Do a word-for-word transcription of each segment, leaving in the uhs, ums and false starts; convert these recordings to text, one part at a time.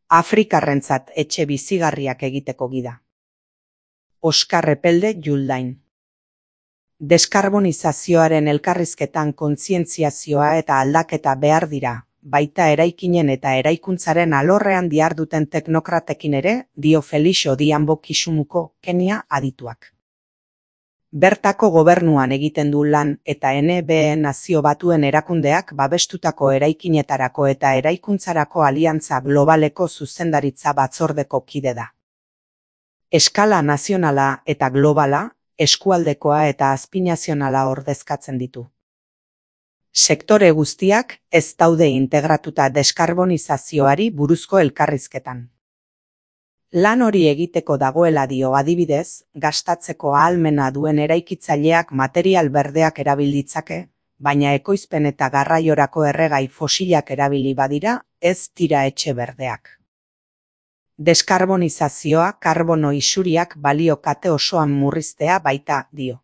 Afrikarrentzat etxe bizigarriak egiteko gida. Oskar Epelde Juldain. Deskarbonizazioaren elkarrizketan kontzientziazioa eta aldaketa behar dira, baita eraikinen eta eraikuntzaren alorrean diharduten teknokratekin ere, dio Felix Odhiambo Kisumuko, Kenia adituak. Bertako gobernuan egiten du lan eta N B E Nazio Batuen erakundeak babestutako eraikinetarako eta eraikuntzarako aliantza globaleko zuzendaritza batzordeko kide da. Eskala nazionala eta globala, eskualdekoa eta azpinazionala ordezkatzen ditu. Sektore guztiak ez daude integratuta deskarbonizazioari buruzko elkarrizketan. Lan hori egiteko dagoela dio adibidez, gastatzeko ahalmena duen eraikitzaileak material berdeak erabil ditzake, baina ekoizpen eta garraiorako erregai fosilak erabili badira, ez dira etxe berdeak. Deskarbonizazioa karbono isuriak balio kate osoan murriztea baita dio.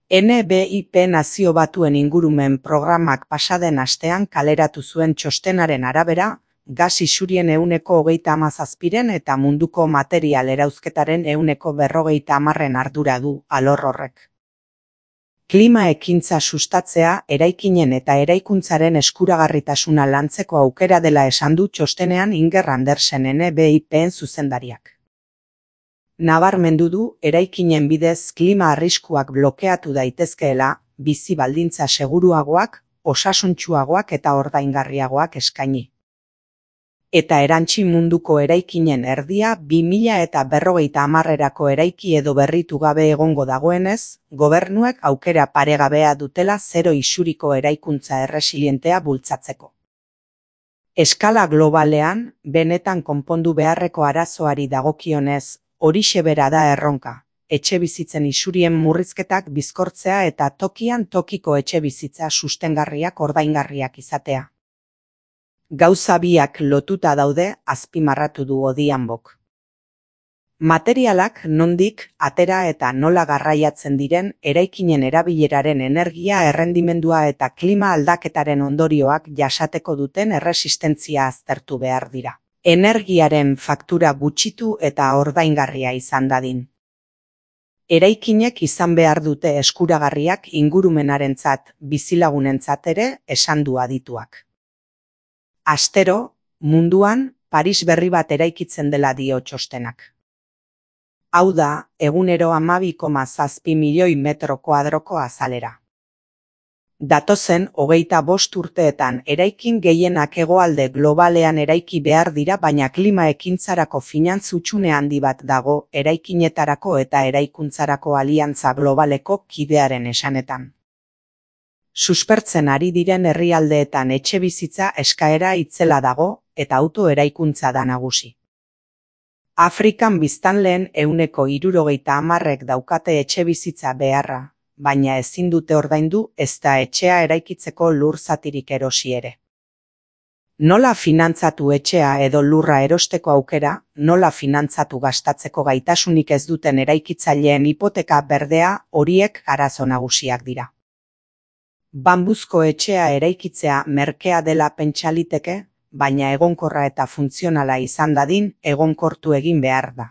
N B I P Nazio Batuen ingurumen programak pasaden astean kaleratu zuen txostenaren arabera, gas isurien ehuneko hogeita hamazazpiren eta munduko material erauzketaren ehuneko berrogeita hamarren ardura du alor horrek. Klima ekintza sustatzea eraikinen eta eraikuntzaren eskuragarritasuna lantzeko aukera dela esan du txostenean Inger Andersen N B I P-en zuzendariak. Nabarmendu du eraikinen bidez klima arriskuak blokeatu daitezkeela, bizi baldintza seguruagoak, osasuntsuagoak eta ordaingarriagoak eskaini. Eta erantsi munduko eraikinen erdia bi mila eta berrogeita hamarrerako eraiki edo berritu gabe egongo dagoenez, gobernuek aukera paregabea dutela zero isuriko eraikuntza erresilientea bultzatzeko. Eskala globalean, benetan konpondu beharreko arazoari dagokionez, horixe bera da erronka, etxebizitzen isurien murrizketak bizkortzea eta tokian tokiko etxebizitza sustengarriak ordaingarriak izatea. Gauza biak lotuta daude, azpimarratu du Odhiambok. Materialak nondik, atera eta nola garraiatzen diren eraikinen erabileraren energia errendimendua eta klima aldaketaren ondorioak jasateko duten erresistentzia aztertu behar dira. Energiaren faktura gutxitu eta ordaingarria izan dadin. Eraikinek izan behar dute eskuragarriak ingurumenarentzat, bizilagunentzat ere esan du adituak. Astero, munduan, Paris berri bat eraikitzen dela dio txostenak. Hau da, egunero hamabi koma zazpi milioi metro koadroko azalera. Datozen hogeita bost urteetan eraikin gehienak hegoalde globalean eraiki behar dira, baina klima ekintzarako finantz hutsune handi bat dago eraikinetarako eta eraikuntzarako aliantza globaleko kidearen esanetan. Suspertzen ari diren herrialdeetan etxebizitza eskaera itzela dago eta auto eraikuntza da nagusi. Afrikan biztanleen ehuneko hirurogeita hamarrek daukate etxebizitza beharra, baina ezin dute ordaindu ezta etxea eraikitzeko lur zatirik erosi ere. Nola finantzatu etxea edo lurra erosteko aukera, nola finantzatu gastatzeko gaitasunik ez duten eraikitzaileen hipoteka berdea, horiek arazo nagusiak dira. Bambuzko etxea eraikitzea merkea dela pentsa liteke, baina egonkorra eta funtzionala izan dadin egonkortu egin behar da.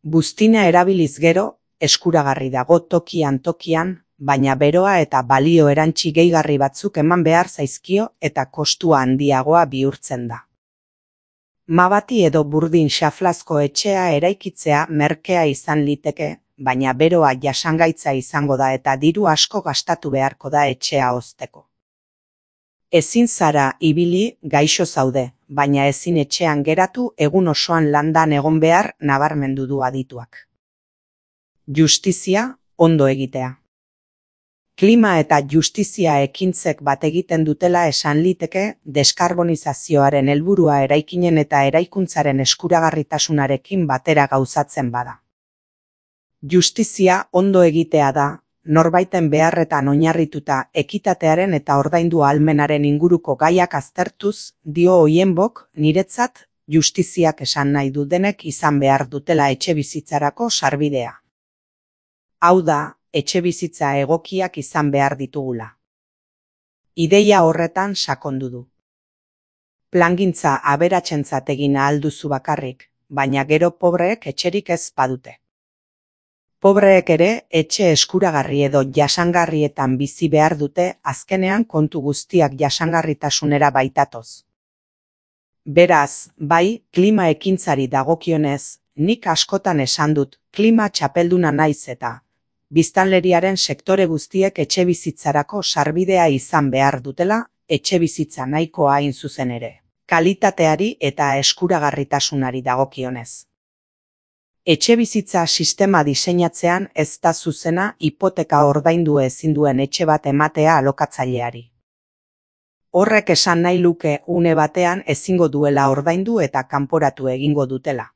Buztina erabiliz gero, eskuragarri dago tokian tokian, baina beroa eta balio erantsi gehigarri batzuk eman behar zaizkio eta kostua handiagoa bihurtzen da. Mabati edo burdin xaflazko etxea eraikitzea merkea izan liteke, baina beroa jasangaitza izango da eta diru asko gastatu beharko da etxea hozteko. Ezin zara ibili gaixo zaude, baina ezin etxean geratu egun osoan landan egon behar nabarmendu du adituak. Justizia, ondo egitea. Klima eta justizia ekintzek bat egiten dutela esan liteke deskarbonizazioaren helburua eraikinen eta eraikuntzaren eskuragarritasunarekin batera gauzatzen bada. Justizia ondo egitea da, norbaiten beharretan oinarrituta ekitatearen eta ordaindu ahalmenaren inguruko gaiak aztertuz, dio Odhiambok, niretzat, justiziak esan nahi du denek izan behar dutela etxebizitzarako sarbidea. Hau da, etxebizitza egokiak izan behar ditugula. Ideia horretan sakondu du. Plangintza aberatsentzat egin ahal duzu bakarrik, baina gero pobreek etxerik ez badute. Pobreek ere etxe eskuragarri edo jasangarrietan bizi behar dute, azkenean kontu guztiak jasangarritasunera baitatoz. Beraz, bai, klima ekintzari dagokionez, nik askotan esan dut, klima txapelduna naiz eta biztanleriaren sektore guztiek etxebizitzarako sarbidea izan behar dutela, etxebizitza nahikoa hain zuzen ere, kalitateari eta eskuragarritasunari dagokionez. Etxebizitza sistema diseinatzean ez da zuzena hipoteka ordaindu ezin duen etxe bat ematea alokatzaileari. Horrek esan nahi luke une batean ezingo duela ordaindu eta kanporatu egingo dutela.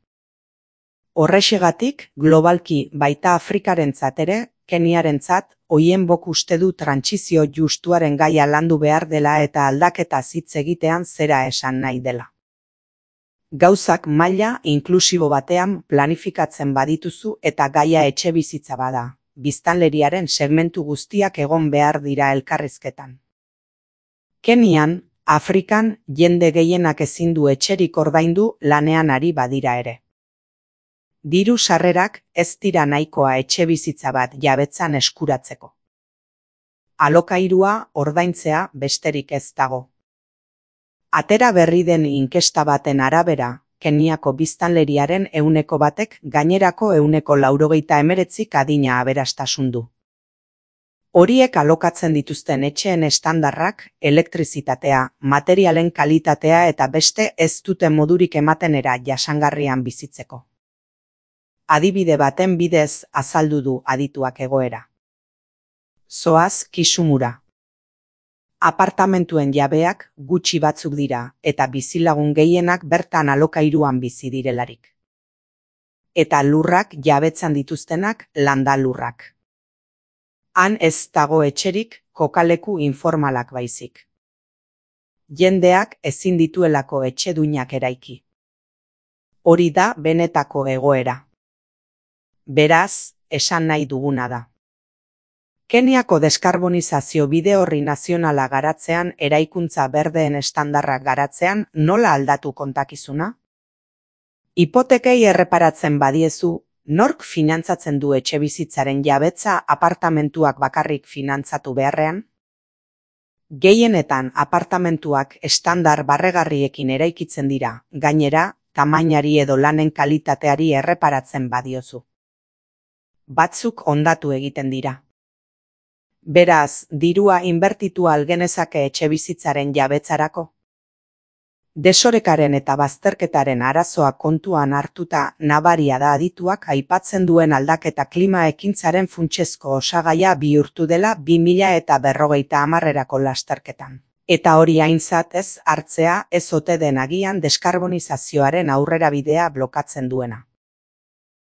Horrexegatik, globalki baita Afrikarentzat ere, Keniarentzat, Oienbok uste du trantsizio justuaren gaia landu behar dela eta aldaketa hitz egitean zera esan nahi dela. Gauzak maila inklusibo batean planifikatzen badituzu eta gaia etxebizitza bada, biztanleriaren segmentu guztiak egon behar dira elkarrizketan. Kenian, Afrikan, jende gehienak ezin du etxerik ordaindu lanean ari badira ere. Diru sarrerak ez dira nahikoa etxebizitza bat jabetzan eskuratzeko. Alokairua ordaintzea besterik ez dago. Atera berri den inkesta baten arabera, Keniako biztanleriaren ehuneko batek gainerako ehuneko laurogeita hemeretzik adina aberastasun du. Horiek alokatzen dituzten etxeen estandarrak, elektrizitatea, materialen kalitatea eta beste ez dute modurik ematenera jasangarrian bizitzeko. Adibide baten bidez azaldu du adituak egoera. Zoaz Kisumura. Apartamentuen jabeak gutxi batzuk dira eta bizilagun gehienak bertan alokairuan bizi direlarik. Eta lurrak jabetzan dituztenak landa lurrak. Han ez dago etxerik, kokaleku informalak baizik. Jendeak ezin dituelako etxeduinak eraiki. Hori da benetako egoera. Beraz, esan nahi duguna da. Keniako deskarbonizazio bide horri nazionala garatzean eraikuntza berdeen estandarrak garatzean nola aldatu kontakizuna? Hipotekei erreparatzen badiezu, nork finantzatzen du etxebizitzaren jabetza apartamentuak bakarrik finantzatu beharrean? Gehienetan apartamentuak estandar barregarriekin eraikitzen dira, gainera, tamainari edo lanen kalitateari erreparatzen badiozu. Batzuk hondatu egiten dira. Beraz, dirua inbertitu algenezake etxebizitzaren jabetzarako? Desorekaren eta bazterketaren arazoa kontuan hartuta nabaria da adituak aipatzen duen aldaketa klima ekintzaren funtsezko osagaia bihurtu dela bi mila eta berrogeita hamarrerako lasterketan. Eta hori aintzat ez hartzea ez ote den agian deskarbonizazioaren aurrerabidea blokatzen duena.